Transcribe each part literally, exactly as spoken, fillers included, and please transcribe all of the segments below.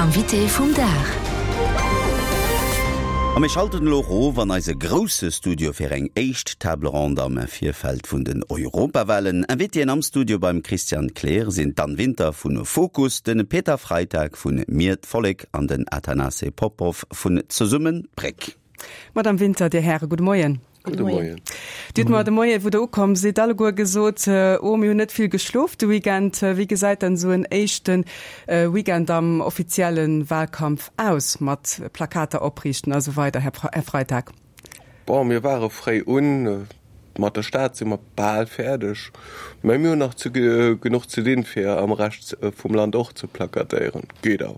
Invité vum Dag. A mir schalten elo erof an eise grousse Studio fir eng éischt Table ronde am Virfeld vun den Europawahlen. Invitéen am Studio beim Christian Kleer sinn d'Anne Winter vun Fokus, de Peter Freitag vun Mir d'Vollek an den Athanase Popov vun Zesummen d'Bréck. Madame Winter, Dir Häre, gudde Moien. Gudde Moien. Dir hutt mer de Moien, wou Der ukomm sidd, alleguer gesot, Oh, mir hunn net vill geschlof de Weekend. Wéi gesäit dann esou en éischte Weekend am offizielle Wahlkampf aus, mat Plakater opriichten a sou weider, Här Freitag? Bon, mir ware fréi un. Mat der Stad si mer bal fäerdeg, mä mir hunn nach genuch ze dinn, fir am Rescht vum Land och ze plakatéieren. Geet awer.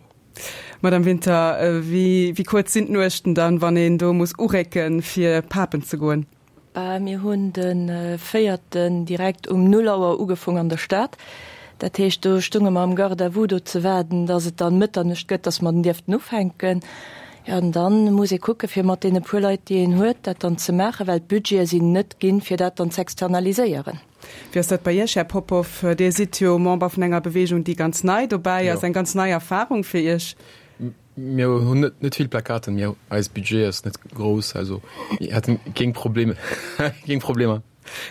Madame Winter, wéi kuerz sinn d'Nuechten dann, wann een do muss urécken, fir papen ze goen? Bah, mir hunn de véierten direkt um null Auer ugefong an der Stad. Dat heescht, do stunge mer am Garde-à-vous do ze waarden, dass et dann Mëtternuecht gëtt, dass mer dann dierften ufänken. Jo, an dann muss ee kucke fir mat deene puer Leit, déi een huet, dat dann ze maachen, well d'Budgete sinn net ginn, fir dat dann z'externaliséieren. Wéi ass dat bei Iech, Här Popov? Dir sidd jo Member vun enger Beweegung, déi ganz nei dobäi ass, eng ganz nei Erfarung fir Iech. Mir hunn net vill Plakaten, mir, eis Budget ass net grouss, also mir hätten keng Probleme, keng Problemer.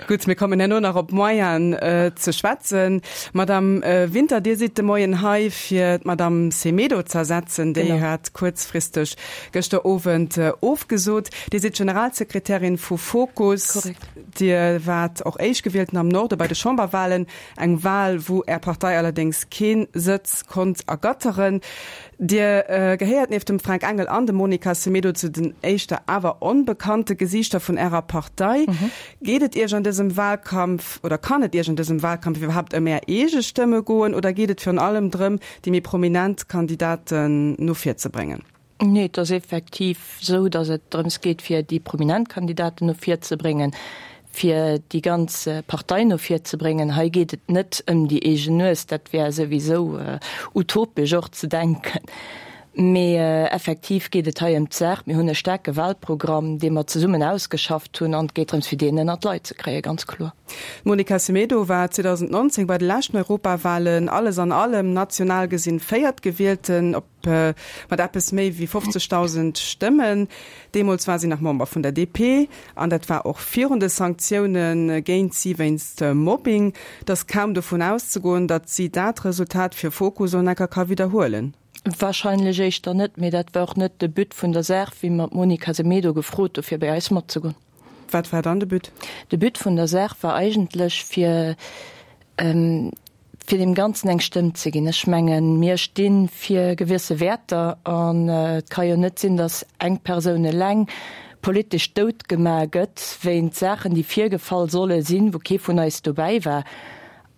Gutt, mir kommen herno nach op d'Moyenen ze schwätzen. Madame Winter, Dir sidd de Moien hei, fir d'Madame Semedo z'ersetzen. Déi hat kuerzfristeg gëschter Owend ofgesot. Dir sidd Generalsekretärin vu Fokus. Korrekt. Dir waart och Éischtgewielten am Norde bei de Chamberwahlen, eng Wahl, wou Är Partei allerdéngs kee Sëtz konnt ergatteren. Dir gehéiert nieft dem Fränk Engel an dem Monica Semedo zu den éischter awer onbekannte Gesiichter vun Ärer Partei. Geet et Iech an dësem Wahlkampf oder kann et Iech an dësem Wahlkampf iwwerhaapt ëm Är eege Stëmme goen oder geet et virun allem drëm, déi méi prominent Kandidaten no vir ze bréngen? Nee, et ass effektiv esou, datt et drëms geet, fir déi prominent Kandidaten no vir ze bréngen, fir déi ganz Partei no vir ze bréngen. Hei geet et net ëm déi eegen Nues, dat wär souwisou utopesch och ze denken. Mee effektiv geet et hei ëm d'Saach. Mir hunn e staarke Wahlprogramm, dee mer zesummen ausgeschafft hunn, an et geet drëms, fir deen ënner d'Leit ze kréien, ganz kloer. D'Monica Semedo war zweedausendnonzéng bei de leschten Europawahlen alles an allem national gesinn Véiertgewielten op mat eppes méi wéi fofzegdausend Stëmmen. Deemools war si nach Member vun der D P an dat war och virun de Sanktioune géint si wéinst Mobbing. Et ass kaum dovun auszegoen, datt si dat Resultat fir Fokus Onecker ka widderhuelen. Warscheinlech éischter net, mee dat war och net de But vun der Saach, wéi mer d'Monica Semedo gefrot hu fir bei eis matzegoen. Wat war dann de But? De But vun der Saach war eigentlech fir fir deem Ganzen eng Stëmm ze ginn. Ech mengen, mir sti fir gewësse Wäerter an et ka jo net sinn, datt eng Persoun eleng politesch dout gemaach gëtt wéint Saachen, déi virgefall solle sinn, wou kee vun eis dobäi war.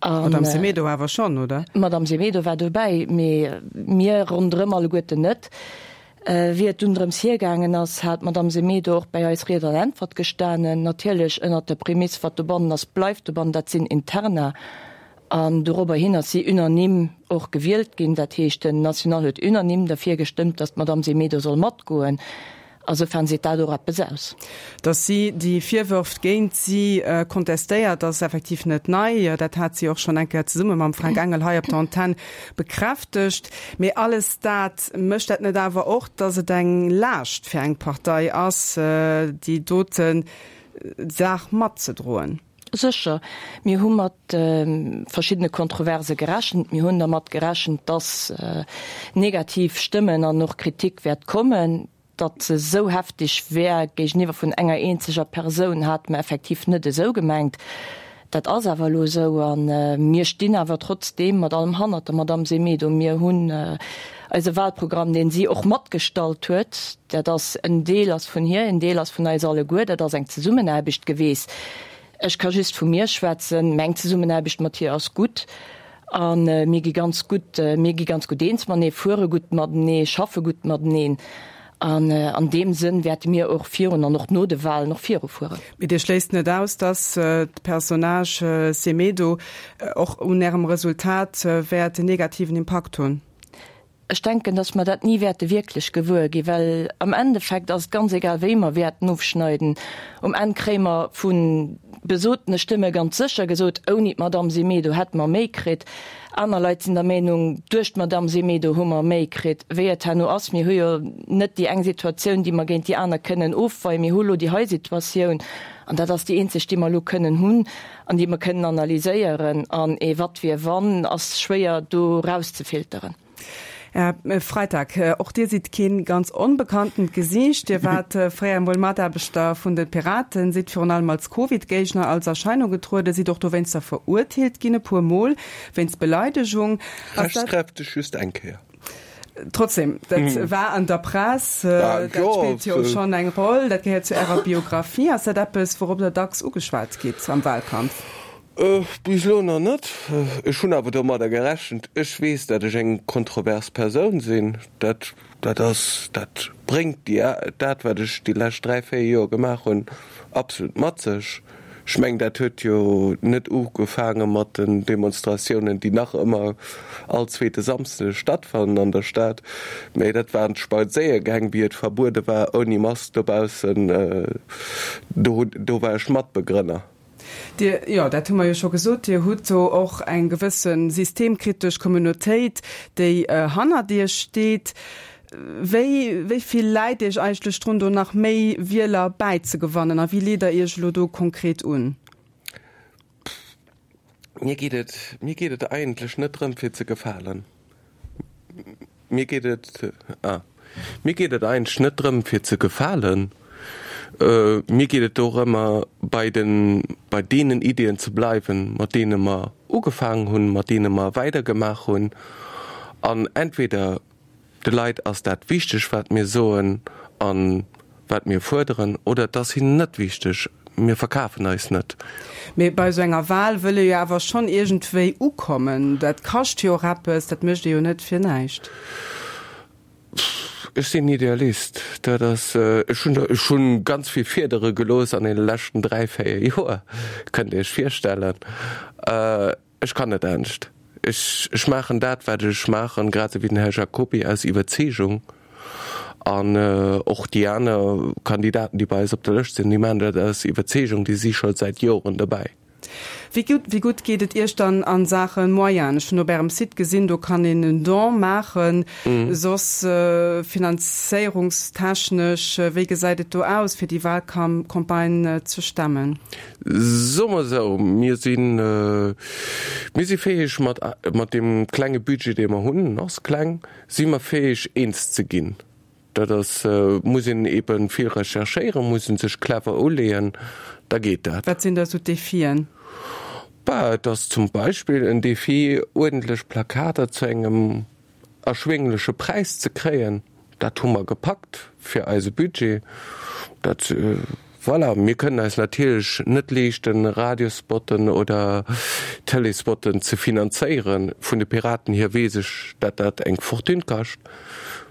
D'Madame Semedo awer schonn, oder? D'Madame Semedo war dobäi, mee mir ronderëm alleguerten net. Wéi et dunn drëms hiergaangen ass, hat d'Madame Semedo och bäi eis Ried an Äntwert gestanen. Natierlech ënnert der Prämiss, wat dobannen ass, bleift dobannen, dat sinn Interna. An dorobber hin ass si unanime och gewielt ginn. Dat heescht, den National huet unanime derfir gestëmmt, datt d'Madame Semedo soll matgoen. Asoufern seet dat och eppes aus. Datt si déi Virwërf géint si kontestéiert, ass effektiv net nei. Dat hat si och schonn eng Kéier zesumme mam Fränk Engel hei op der Antenn bekräftegt. Mee alles dat, mécht dat net awer och, datt et eng Laascht fir eng Partei ass, déi dote Saach matzedroen? Sécher, mir hu mat verschiddene Kontroverse gerechent. Mir hunn dermat gerechent, datt negativ Stëmmen an och Kritik wäert kommen. Datt se esou heftig wär géigeniwwer vun enger eenzeger Persoun, hate mer effektiv net esou gemengt. Dat ass awer elo esou a mir stinn awer trotzdeem mat allem hannert der Madamm Semedo. Mir hunn eise Wahlprogramm, dee si och matgestallt huet, dat ass en Deel ass vun hir, en Deel ass vun eis alleguer, dat ass eng Zesummenaarbecht geweest. Ech ka just vu mir schwätzen, meng Zesummenaarbecht mat hir ass gutt a mir gi ganz gutt, mir gi ganz gutt eens matenee, fuere gutt matenee, schaffe gutt mateneen. An an deem Sënn wäerte mir och virun an och no de Wahlen och virufueren. Mee Dir schléisst net aus, datt d'Personnage Semedo och un Ärem Resultat wäert en negativen Impakt hunn? Ech denken, dass mer dat ni wäerte wierklech gewuer ginn, well am Endeffekt ass et ganz egal, wéi mer wäerten ofschneiden. Um Enn kréie mer vu besotene Stëmme ganz sécher gesot, ouni d'Madamm Semedo hätte mer méi kritt. Aner Leit sinn der Meenung, duerch d'Madamm Semedo hu mer méi kritt. Wéi et herno ass, mir hu jo net déi eng Situatioun, déi mer géint déi aner kënnen ofweien. Mir hu lo déi hei Situatioun an dat ass déi eenzeg, déi mer elo kënnen hunn an déi mer kënnen analyséieren. An ee Wat wier wann ass schwéier do erauszefilteren. Här Freitag, och Dir sidd keen ganz onbekanntent Gesiicht. Dir waart fréier emol Mataarbechter vun de Piraten, sidd virun allem als Covid-Géigner als Erscheinung getrueden, sidd och dowéinster verurteelt ginn, e puer Mol wéinst Beleidegung. Rechtskräfteg just eng Kéier. Trotzdem, dat war an der Press, dat spillt jo schonn eng Roll, dat gehéiert zu Ärer Biografie. Ass dat eppes, wourop Der dacks ugeschwat gitt am Wahlkampf? Bis elo nach net. Ech hunn awer domadder gerechent. Ech weess, datt ech eng kontrovers Persoun sinn. Dat, dat ass, dat bréngt déi, dat wat ech déi lescht dräi, véier Joer gemaach hunn, absolut mat sech. Ech mengen, dat huet jo net ugefaange mat den Demonstratiounen, déi nach ëmmer all zweete Samsde stattfannen an der Stad, mä dat waren d'Spadséiergäng, wéi et verbuede war, ouni Mask dobaussen. Do, do war ech Matbegrënner. Dir, jo, dat hu mer jo scho gesot, Dir hutt do och eng gewësse systemkritesch Communautéit, déi hannert Iech steet. Wéi, wéi vill läit Iech eigentlech drun, do nach méi Wieler bäizegewannen a wéi leet Der Iech elo do konkret un? Mir geet et, mir geet et eigentlech net drëm, fir ze gefalen. Mir geet et, ah, mir geet et eigentlech net drëm, fir ze gefalen. Mir geet et dorëmmer, bei den, bei deenen Iddien ze bleiwen, mat deene mer ugefaangen hunn, mat deene mer weidergemaach hunn. An entweder de Leit ass dat wichteg, wat mir soen a wat mir fuerderen, oder et ass hinnen net wichteg. Mir verkafen eis net. Mee bei esou enger Wahl wëll ee jo awer schonn iergendwéi ukommen. Dat kascht jo och eppes, dat mécht ee jo net fir näischt. Ech sinn Idealist. Dat ass, ech hunn, ech hu ganz vill Fiedere gelooss an deene leschten dräi, véier Joer, kënnt Dir Iech virstellen. Ech kann net anescht. Ech, ech maachen dat, wat ech maachen, grad esou wéi den Här Jacoby, aus Iwwerzeegung. An och déi aner Kandidaten, déi bei eis op der Lëscht sinn, déi maachen dat aus Iwwerzeegung, déi si scho säit Joren dobäi. Wéi gutt, wéi gutt geet et Iech dann a Saache Moyenen? Ech hunn op Ärem Site gesinn, do kann een en Don maachen. Soss finanzéierungstechnesch, wéi gesäit et do aus, fir déi Wahlcampagne ze stemmen? Soe mer esou, mir sinn, mir si fäeg mat, mat deem klenge Budget, dee mer hunn, en ass kleng, si mer fäeg eens ze ginn. Dat ass, muss een eebe vill recherchéieren, muss ee sech clever uleeën, da geet dat. Wat sinn da sou d'Defien? Bah, et ass zum Beispill en Defi, uerdentlech Plakater zu engem erschwéngleche Präis ze kréien. Dat hu mer gepackt fir eise Budget. Dat, voilà, mir kënnen eis natierlech net leeschten, Radiospotten oder Tëleespotten ze finanzéieren. Vun de Piraten hier weess ech, dat dat eng Fortune kascht.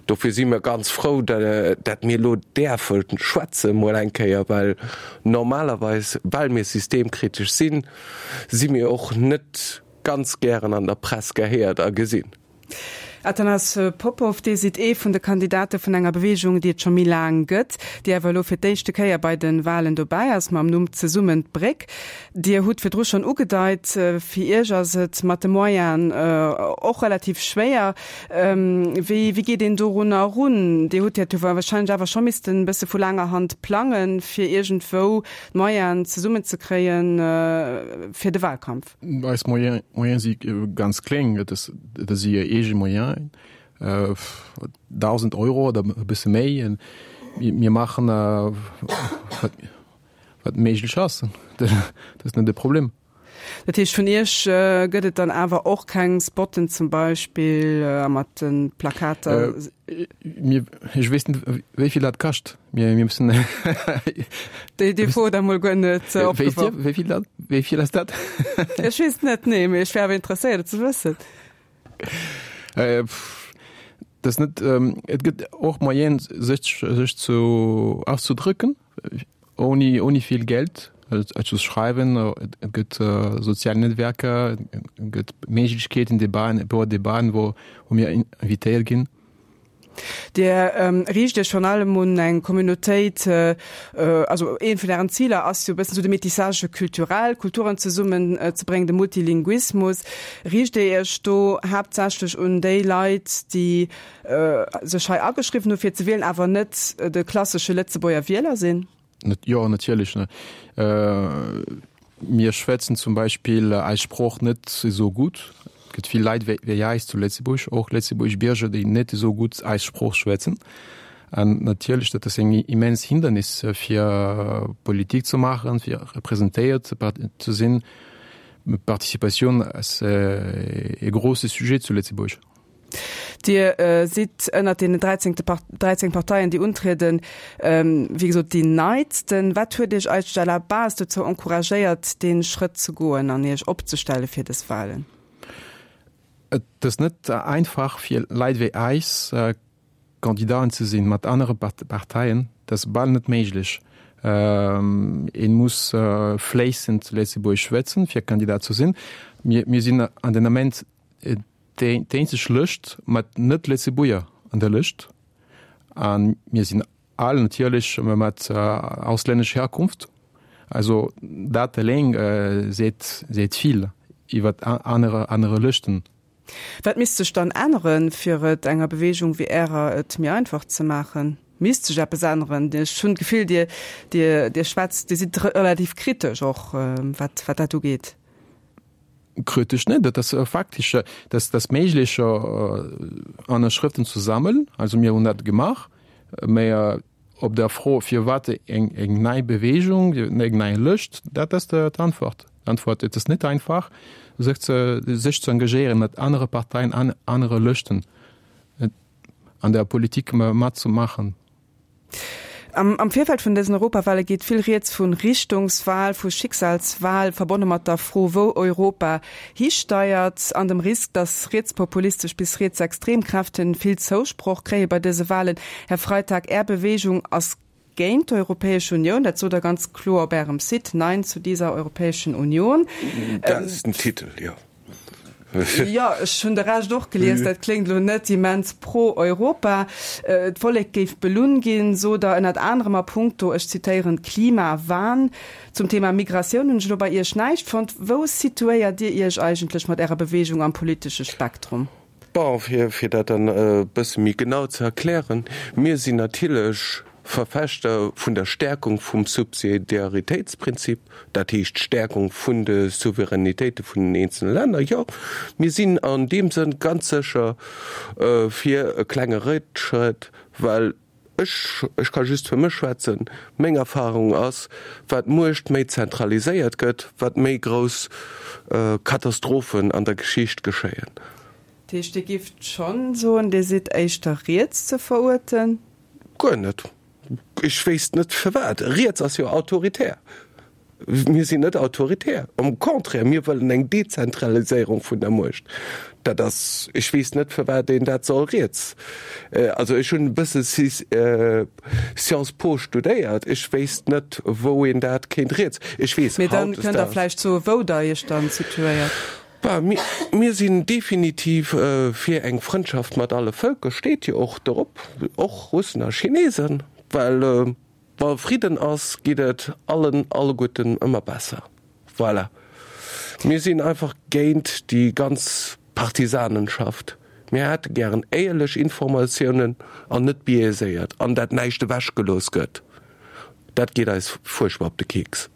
Dofir si mir ganz frou, dat mir elo däerfe schwätze mol eng Kéier, well normalerweis, well mir systemkritesch sinn, si mir och net ganz gären an der Press gehéiert a gesinn. Athanas Popov, Dir sidd ee vun de Kandidate vun enger Beweegung, déi et scho méi laang gëtt, déi awer elo fir d'éischte Kéier bei de Walen dobäi ass, mam Numm Zesummen d'Bréck. Dir hutt virdru schonn ugedeit, fir Iech ass et mat de Moyenen och relativ schwéier. Wéi wéi geet een dorunner erun? Dir hutt dat jo wahrscheinlech awer scho missten e bësse vu laanger Hand plangen, fir iergendwou d'Moyenen zesummenzekréien fir de Wahlkampf. Eis Moyene si ganz kleng, et si eege Moyenen, dausend Euro oder e bësse méi. Mir maachen, wat méiglech ass. Dat ass net de Problem. Dat heescht, vun Iech gëtt et dann awer och keng Spotten zum Beispill a mat de Plakater? Mir, ech weess net, wéi vill dat kascht. Mir, mir müssen. Déi, déi Fro hutt Der emol guer net opgeworf. Weess Dir, wéi vill dat, wéi vill ass dat? Ech weess et net, nee, mee ech wär awer interesséiert, et ze wëssen. Dat ass net, et gëtt och Moyenen, sech, sech zu auszudrücken, ouni, ouni vill Geld. et ze schreiwen, et gëtt sozial Netzwerker, et gëtt Méiglechkeeten, Debaten, e puer Debaten, wou wou mir invitéiert ginn. Dir riicht Iech virun allem un eng Communautéit, also eent vun Ären Ziler ass jo e bëssen esou de Métissage culturel, Kulturen zesummen ze bréngen, de Multilinguismus. Riicht Dir Iech do haaptsächlech un déi Leit, déi sech hei ageschriwwen hu fir ze wielen, awer net de klassesche Lëtzebuerger Wieler sinn? Jo, natierlech. Mir schwätzen zum Beispill eis Sprooch net esou gutt. Et gëtt vill Leit wéi eis zu Lëtzebuerg, och lëtzebuergesch Bierger, déi net esou gutt eis Sprooch schwätzen. An natierlech, dat ass eng immens Hindernis, fir Politik ze maachen, fir representéiert ze sinn. Participatioun ass e grousse Sujet zu Lëtzebuerg. Dir sidd ënnert deenen dräizéng Parteien, déi untrieden, wéi gesot déi neitsten. Wat huet Iech eigentlech à la base dozou encouragéiert, dee Schrëtt ze goen an Iech opzestelle fir dës Wahlen? Et ass net einfach fir Leit wéi eis Kandidaten ze sinn mat anere Parteien. Dat ass bal net méiglech. Een muss fléissend Lëtzebuergesch schwätzen, fir Kandidat ze sinn. Mir sinn an den Ament déi eenzeg Lëscht mat Net-Lëtzebuerger an der Lëscht. A mir sinn all natierlech mat auslännescher Herkunft. Also dat eleng seet seet vill iwwer anere anere Lëschten. Wat misst sech dann änneren, fir et enger Beweegung wéi Ärer et méi einfach ze maachen? Misst sech eppes änneren? Ech hunn d'Gefill, Dir Dir Dir schwätzt, Dir sidd relativ kritesch och, wat wat dat ugeet. Kritesch net, dat ass faktesch, dass dass méiglech Ënnerschrëften ze sammelen. Also mir hunn dat gemaach, mä op der Fro firwat eng eng nei Beweegung, eng nei Lëscht, dat ass d'Antwort. D'Antwort, et ass net einfach sech ze sech ze engagéieren mat anere Parteien an anere Lëschten an der Politik matzemaachen. Am am Virfeld vun dësen Europawale geet vill Rieds vu Richtungswal, vu Schicksalswal, verbonne mat der Fro, wou Europa histeiert, an dem Risk, datt rietspopulistesch bis rietsextrem Kräfte vill Zousproch kréie bei dëse Walen. Här Freitag, Är Beweegung ass géint d'Europäesch Unioun, dat sot Der ganz kloer op Ärem Site, Nein zu dieser Europäischen Union. Dat ass den Titel, jo. Jo, ech hunn de Rescht och gelies, dat kléngt elo net immens pro-Europa. D'Vollek géif belunn ginn, sot Der ënnert anerem a punkto, ech zitéieren, Klimawahn. Zum Thema Migratioun hunn ech elo bei Iech näischt fonnt. Wou situéiert Dir Iech eigentlech mat Ärer Beweegung am politesche Spektrum? Bon, fir fir dat dann e bësse méi genau ze erklären, Mir sinn natierlech Verfechter vun der Stärkung vum Subsidiaritätsprinzip, dat heescht d'Stärkung vun de Souveränitéite vun den eenzele Länner. Jo, mir sinn an deem Sënn ganz sécher fir e klenge Réckschrëtt, well ech, ech ka just fir mech schwätzen, meng Erfahrung ass, wat d'Muecht méi zentraliséiert gëtt, wat méi grouss Katastrophen an der Geschicht geschéien. Dat heescht, Dir gifft schonn soen, Dir sidd éischter riets ze veruerten? Guer net. Ech wéisst net firwat. Riets ass jo autoritär. Mir sinn net autoritär. Am Contraire, mir wëllen eng Dezentraliséierung vun der Muecht. Dat ass, ech weess net firwat een dat soll riets. Also ech hunn e bësse Sciences Po studéiert, ech wéisst net wou een dat kéint riets. Ech weess Mee dann kënnt Der vläicht soen, wou Der Iech dann situéiert. Bah, mir sinn definitiv fir eng Frëndschaft mat alle Vëlker, steet jo och dorop, och Russen a Chinesen, well wa Fridden ass, geet et allen alleguerten ëmmer besser. Voilà. Mir sinn einfach géint déi ganz Partisanenschaft. Mir hätte gären éierlech Informatiounen an net biaiséiert, an dat näischt ewechgelooss gëtt. Dat geet eis fuerchtbar op de Keks.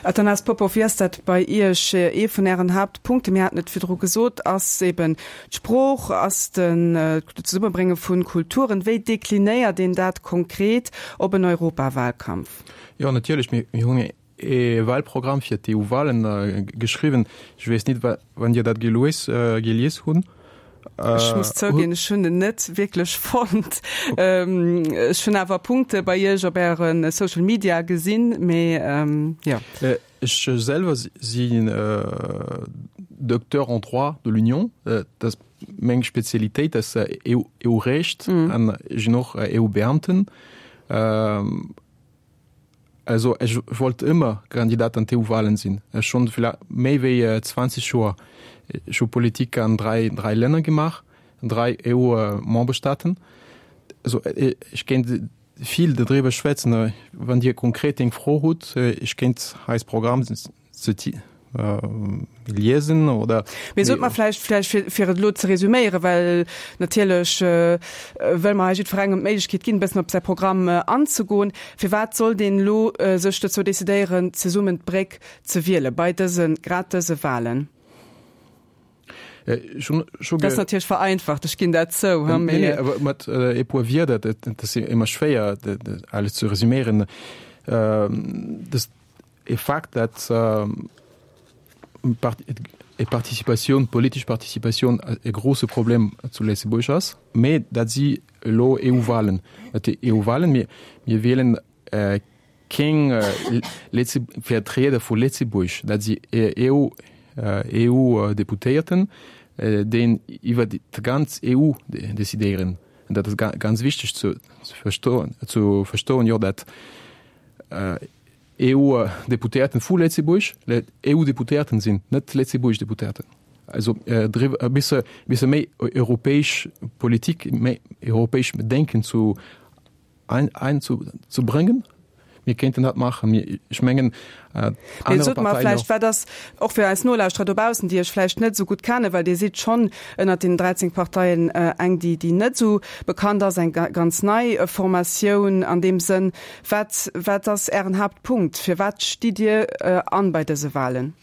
Athanase Popov, wéi ass dat bei Iech? Ee vun Ären Haaptpunkte, mir haten et virdru gesot, ass eben d'Sprooch, ass den Zesummebrénge vu Kulturen. Wéi deklinéiert een dat konkret op en Europawahlkampf? Jo, natierlech. Mir hunn ee Wahlprogramm fir d'EU-Wahlen geschriwwen. Ech weess net, wann Dir dat gelies hunn. Ech muss zouginn, ech hunn en net wierklech fonnt. Ech hunn awer Punkte bei Iech op Äre Social Media gesinn, mee jo. Ech selwer sinn Docteur en droit de l'Union. Dat ass meng Spezialitéit, ass EU-Recht an ech sinn och EU-Beamten. Also ech wollt ëmmer Kandidat an d'EU-Wahlen sinn. Schonn méi wéi zwanzeg Joer. Ech hu Politik an dräi, dräi Länner gemaach, an dräi EU-Memberstaaten. Also ech kéint vill dodriwwer schwätzen. Wann Dir konkret eng Fro hutt, ech kéint eis Programm liesen oder. Mee sot mer vläicht, vläicht fir, fir et elo ze resüméieren, well natierlech wëlle mer hei jiddwerengem d'Méiglechkeet ginn, e bëssen op säi Programm anzegoen, Firwat sollt een elo sech dozou decidéieren, zesummen d'Bréck ze wiele bei dësen, grad dëse Wahlen? Dat ass natierlech vereinfacht, ech ginn dat zou, mee. Nee, nee, awer mat e puer Wierder, dat ass ëmmer schwéier, alles ze resüméieren. Dat ass e Fakt, dat Participatioun, politesch Participatioun e grouse Problem zu Lëtzebuerg ass, mee dat si elo EU-Wahlen. Dat si EU-Wahlen, mir, mir wielen keng Vertrieder vu Lëtzebuerg, dat si EU, EU-Deputéierten, déi iwwer déi ganz EU decidéieren. An dat ass ganz wichteg ze verstoen, ze verstoen, jo, dat EU-Deputéierten vu Lëtzebuerg EU-Deputéierten sinn, net Lëtzebuerg Deputéierten. Also e bësse, bësse méi europäesch Politik, méi europäesch Denken zu ein, ein zu, zu bréngen. Mir kéinten dat maachen. Mir, ech mengen, Mee sot mer vläicht, wat ass, och fir eis Nolauschterer dobaussen, déi Iech vläicht net esou gutt kennen, well Dir sidd schonn ënnert deenen dräizéng Parteien eng, déi, déi net esou bekannt ass, eng ganz nei Formatioun an deem Sënn. Wat, wat ass Ären Haaptpunkt? Firwat stitt Dir an bei dëse Wahlen?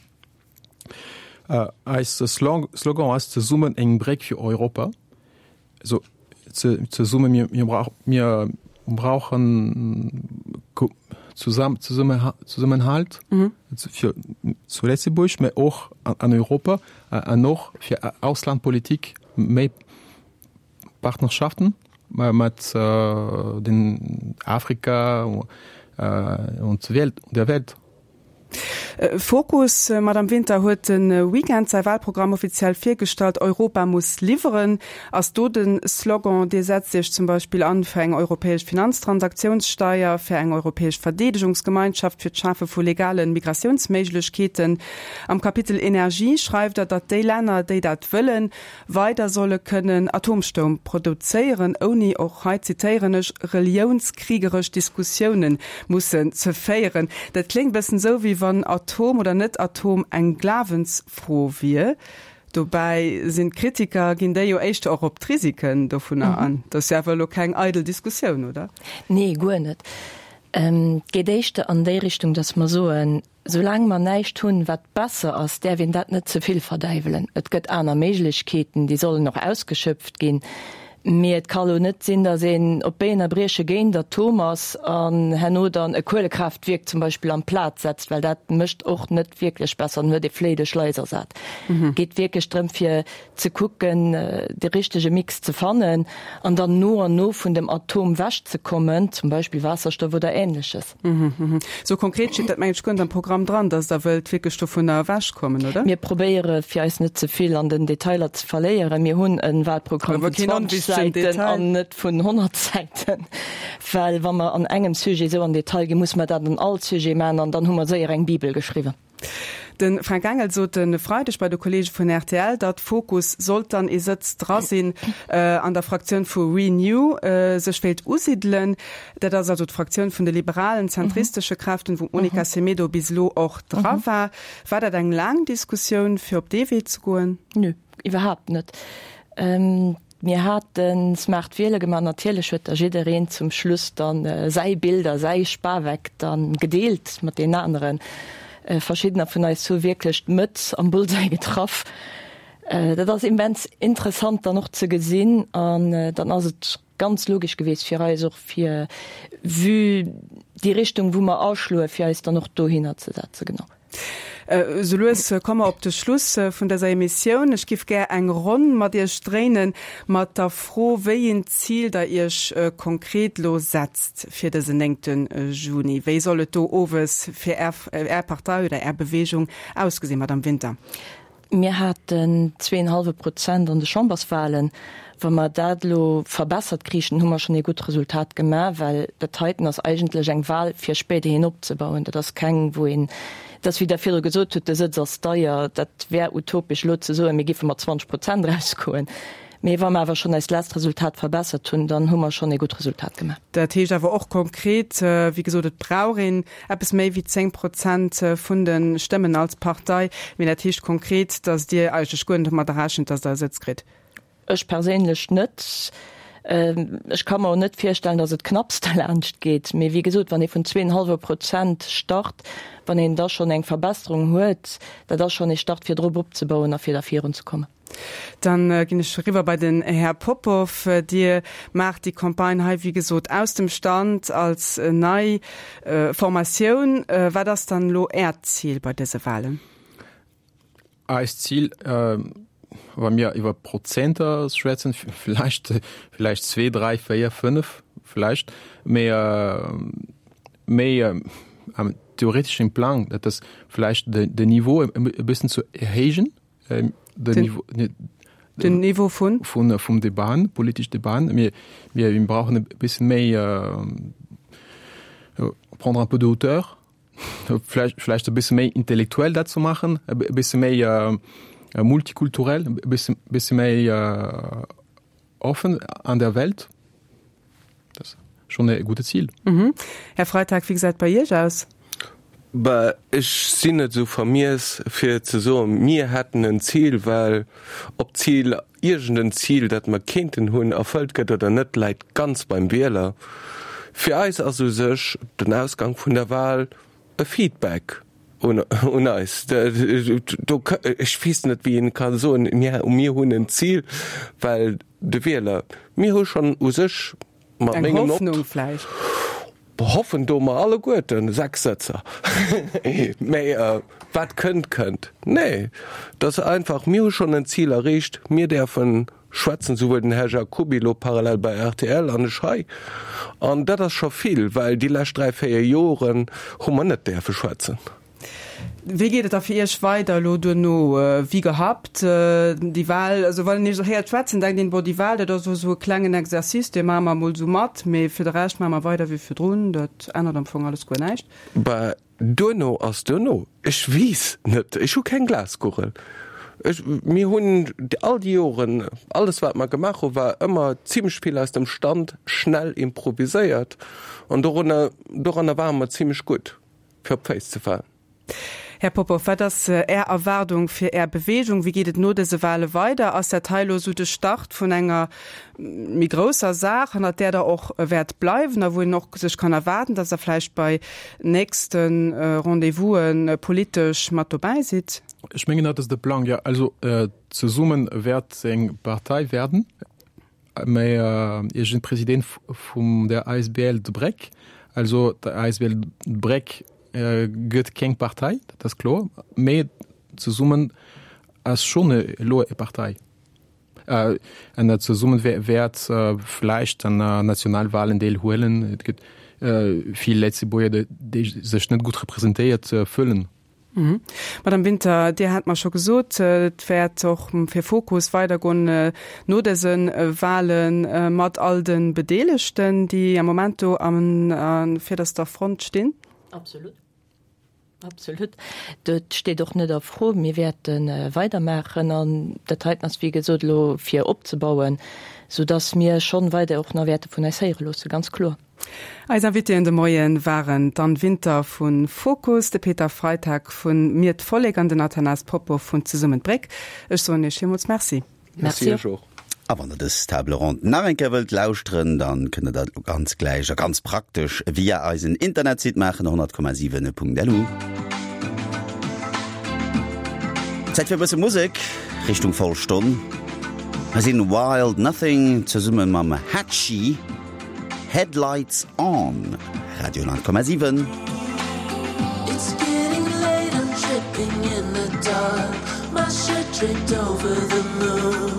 Eis Slogan ass Zesummen eng Bréck fir Europa. Also zesumme mir, mir, brauch, mir brauchen zusammen, zusammen, Zusammenhalt mhm. fir zu Lëtzebuerg, mee och an, an Europa an och fir Auslandpolitik méi Partnerschaften mat äh, den Afrika äh, und Welt, der Welt. Fokus, Madame Winter, huet de Weekend säi Wahlprogramm offiziell virgestallt. Europa muss liwweren ass do de Slogan. Dir setzt Iech zum Beispill an fir eng europäesch Finanztransaktiounssteier, fir eng europäesch Verdeedegungsgemeinschaft, fir d'Schafe vu legale Migratiounsméiglechkeeten. Am Kapitel Energie schreift Der, datt déi Länner, déi dat wëllen, weider solle kënnen Atomstoum produzéieren, ouni, och hei zitéieren ech, reliounskriegeresch Diskussiounen mussen ze féieren. Dat kléngt bëssen esou, wéi wann Atom oder net Atom eng Glawensfro wier. Dobäi sinn d'Kritiker, ginn déi jo éischter och op d'Risiken dovunner an. Dat ass jo awer elo keng eidel Diskussioun, oder? Nee, guer net. Et geet éischter an déi Richtung, datt mer soen, Soulaang mer näischt hunn, wat besser ass, däerf een dat net ze vill verdäiwelen. Et gëtt aner Méiglechkeeten, déi sollen och ausgeschöpft ginn. Mee et ka lo net sinn, datt een op Béien a Brieche géint Atom ass an herno dann e Kuelekraaftwierk zum Beispill amplaz setzt, well dat mécht och net wierklech besser, dann huet ee Fléi duerch Lais ersat. Et geet wierklech drëm, fir ze kucken, de richtege Mix ze fannen an dann no an no vun dem Atom wechzekommen, zum Beispill Waasserstoff oder Ähnleches. Sou konkret steet dat mengen ech guer net am Programm dran, dass Der wëllt wierklech dovunner ewechkommen, oder? Mir probéiere fir eis net ze vill an den Detailer ze verléieren. Mir hunn e Wahlprogramm vun zwanzeg Säiten an net vun honnert Säiten, well wa mer an engem Sujet esou an Detail ginn, musse mer dat an all Sujet maachen an dann hu mer séier eng Bibel geschriwwen. De Fränk Engel sot e Freideg bei de Kolleege vun rtl, datt Fokus, sollt dann ee Sëtz dra sinn, an der Fraktioun vu Renew sech wéilt usidelen. Dat ass also d'Fraktioun vun de liberalen, zentristesche Kräften, wou d'Monica Semedo bis elo och dra war. War dat eng laang Diskussioun, fir op dee Wee ze goen? Nö, iwwerhaapt net. Mir hate smart Wiele gemaach. Natierlech huet da jiddereen zum Schluss dann säi Bild a säi Spaweck dann gedeelt mat deenen aneren. Verschiddener vun eis hu wierklech d'Mëtt am Bullseye getraff. Dat ass immens interessant dann och ze gesinn an dann ass et ganz logesch geweest fir eis och fir, vue déi Richtung wou mer aschloe, fir eis dann och dohinner ze setzen. Genau. Esou lues komme mer op de Schluss vun dëser Emissioun. Ech giff gär eng Ronn mat Iech dréine mat der Fro, wéi een Zil Der Iech konkret elo setzt fir dësen néngte Juni. Wéi soll et do owes fir Är Partei oder Är Beweegung ausgesinn, Madame Winter? Mir haten zwee en hallwe Prozent an de Chamberswahlen. Wa mer dat elo verbessert kriichen, hu mer schonn ee gutt Resultat gemaach, well dat heiten ass eigentlech eng Wahl fir spéiderhin opzebauen. Dat ass keng, wou een, et ass wéi Der virdru gesot hutt, de Sëtz ass deier. Dat wär utopesch elo ze soen, mir géife mat zwanzeg Prozent erausgoen. Mee wa mer awer schonn eist lescht Resultat verbessert hunn, dann hu mer schonn ee gutt Resultat gemaach. Dat heescht awer och konkret, wéi gesot, et brauch een eppes méi wéi zéng Prozent vun de Stëmmen als Partei. Mee dat heescht konkret, datt Dir eigentlech guer net domadder rechent, datt Der e Sëtz kritt? Ech perséinlech net. Ech ka mer och net virstellen, datt et knapps derlaanscht geet. Mee wéi gesot, wann ee vun zwee en hallwe Prozent start, wann een da schonn eng Verbesserung huet, dat ass schonn ee Start fir drop opzebauen a fir da virunzekommen. Dann ginn ech eriwwer bei den Här Popov. Dir maacht déi Campagne hei, wéi gesot, aus dem Stand als nei Formatioun. Wat ass dann elo Äert Zil bei dëse Wahlen? Eist Zil, wa mir iwwer Prozenter schwätzen, vläicht, vläicht zwee, dräi, véier, fënnef vläicht, mee méi am theoreteschen Plang, dat ass vläicht den Niveau e bëssen ze erhéijen, den Niveau, den Niveau vun? Vun, vum Debatten, politesch Debatten. Mir, mir brauchen e bëssen méi, prendre un peu de hauteur, vläicht, vläicht e bësse méi intellektuell dat ze maachen, e bësse méi multikulturell, e bësse, bësse méi offen an der Welt. Dat ass schonn e gudde Zil. Mhm. Här Freitag, wéi gesäit et bei Iech aus? Bah, ech sinn net esou vermiess fir ze soen, mir hätten en Zil, well ob d'Zil, iergend en Zil, dat mer kéinten hunn, erfëllt gëtt oder net, läit ganz beim Wieler. Fir eis ass u sech den Ausgang vun der Wahl e Feedback un, un eis. Do, ech weess net, wéi een ka soen, mir, mir hunn en Zil, well de Wieler, mir hu schonn u sech mat Eng mengem Hoffnung vläicht. Hoffen doe mer alleguerten sechs Sëtzer. Mä wat kënnt, kënnt. Nee, et ass einfach, mir hu schonn en Zil erreecht, mir däerfe schwätzen, souwuel den Här Jacoby elo parallel bei rtl an ech hei. An dat ass scho vill, well déi lescht dräi, véier Joren hu mer net däerfe schwätzen. Wéi geet et da fir Iech weider elo duerno? Wéi gehabt déi Wahl, also wann een Iech esou héiert schwätzen, denkt een, bon, déi Wahl, dat ass elo esou e klengen Exercice, dee maache mer emol esou mat, mee fir de Rescht maache mer weider wéi virdrun, dat ännert am Fong alles guer näischt. Bah, duerno ass duerno. Ech weess net, ech hu keng Glaskugel. Ech, mir hunn all déi Joren, alles wat mer gemaach hu war ëmmer zimlech vill aus dem Stand, schnell improviséiert an dorunner, doranner ware mer zimlech gutt, fir op d'Féiss ze falen. Här Popov, wat ass Är Erwaardung fir Är Beweegung? Wéi geet et no dëse Wahle weider? Ass dat hei elo esou de Start vun enger méi grousser Saach, hannert där Der och wäert bleiwen a wou een och sech kann erwaarden, datt Der vläicht bei nächste Rendez-vous'e politesch mat dobäi sidd? Ech mengen, dat ass de Plang, jo. Also zesumme wäert eng Partei werden. Mä ech sinn President vum der asbl D'Bréck. Also d'asbl D'Bréck gëtt keng Partei, dat ass kloer, mä zesummen ass schonn elo e Partei. An zesummen wäert vläicht an Nationalwahlen deelhuelen. Et gëtt vill Lëtzebuerger, déi sech net gutt representéiert füllen. Madame Winter, Dir hat mer scho gesot, et wäert och fir Fokus weidergoen no dëse Wahle mat all de Bedeelegten, déi am Moment do an virderster Front stinn. Absolut. Absolut. Dat steet och net a Fro. Mir wäerte weidermaachen an dat heiten ass, wéi gesot, elo fir opzebauen, soudass mir schonn weider och nach wäerte vun eis héiere loosse, ganz kloer. Eis Invitéen de Moien waren d'Anne Winter vu Fokus, de Peter Freitag vu Mir d'Vollek an den Athanase Popov vun Zesummen d'Bréck. Ech soen Iech villmools Merci. Merci Iech och. A wann der dës Table ronde nach eng Kéier wëllt lauschteren, dann kënnt der dat elo ganz gläich a ganz praktesch via eisen Internetsite maachen, honnert Komma siwen Punkt lu. Zäit fir e bësse Musek Richtung Vollstonn. Hei sinn Wild Nothing zesumme mam Hatchie, Headlights On, Radio honnert Komma siwen. It's getting late, I'm tripping in the dark My shirt draped over the moon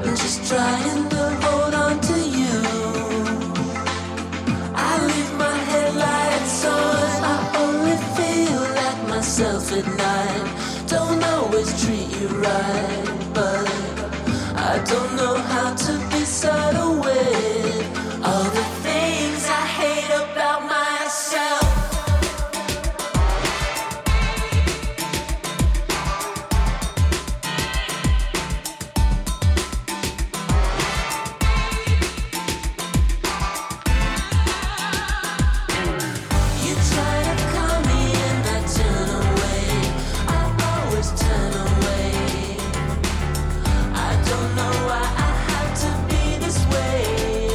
I'm just trying to hold on to you I leave my headlights on I only feel like myself at night Don't always I don't know how to be subtle with all the things I hate about myself. You try to call me and I turn away. I always turn away. I don't know why I have to be this way.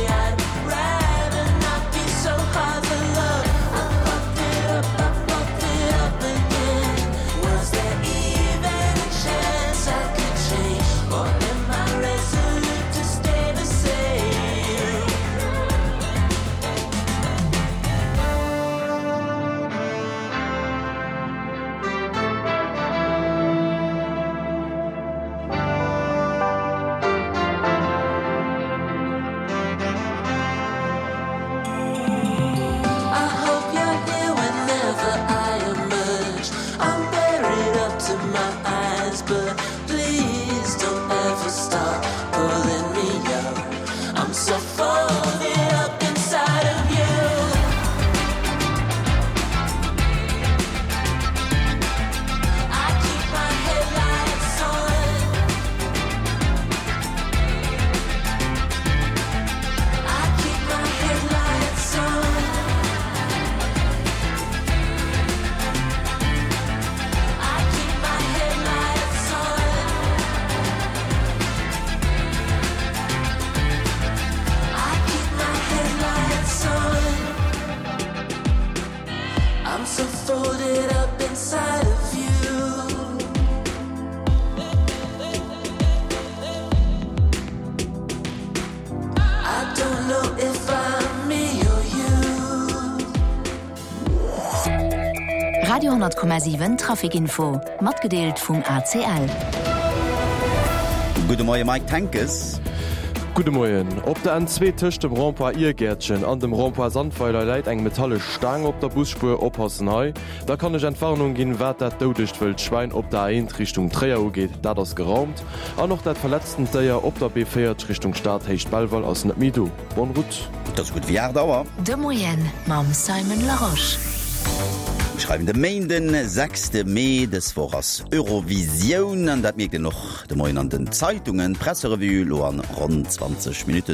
I'd rather not be so hard to love. I fucked it up, I fucked it up again. Was there even a chance I could change? Or am I resolute to stay the same? I hope you're here whenever I emerge. I'm buried up to my eyes, but please don't ever stop pulling me up. I'm so folded up inside of you. I keep my headlights on. I keep my headlights on. I keep my headlights on. I keep my headlights on. I'm so folded up inside of you. I don't know if I'm me or you. Radio honnert Komma siwen Traficinfo, matgedeelt vum A C L. Gudde Moie Mike Tenkes. Gudde Moien. Op der N zwee tëscht dem Rond-point Irgäertchen an dem Rond-point Sandweiler läit eng metallesch Staang op der Busspuer. Oppassen hei. Da kann ech Entwarnung ginn, wat dat doudegt wëllt Schwäin op der A eent Richtung Tréier ugeet, dat ass geraumt. An och dat verletztent Déier op der B véierzeg Richtung Stad Héicht Belval ass net méi do. Bonne route. Et ass gutt wéi aacht Auer. De Moien mam Simon Larosche. Mir schreiwen de Méinden, sechste Mee. Dës Woch ass Eurovisioun an dat mierkt een och de Moien an den Zeitungen. D'Presserevue elo an ronn zwanzeg Minutten.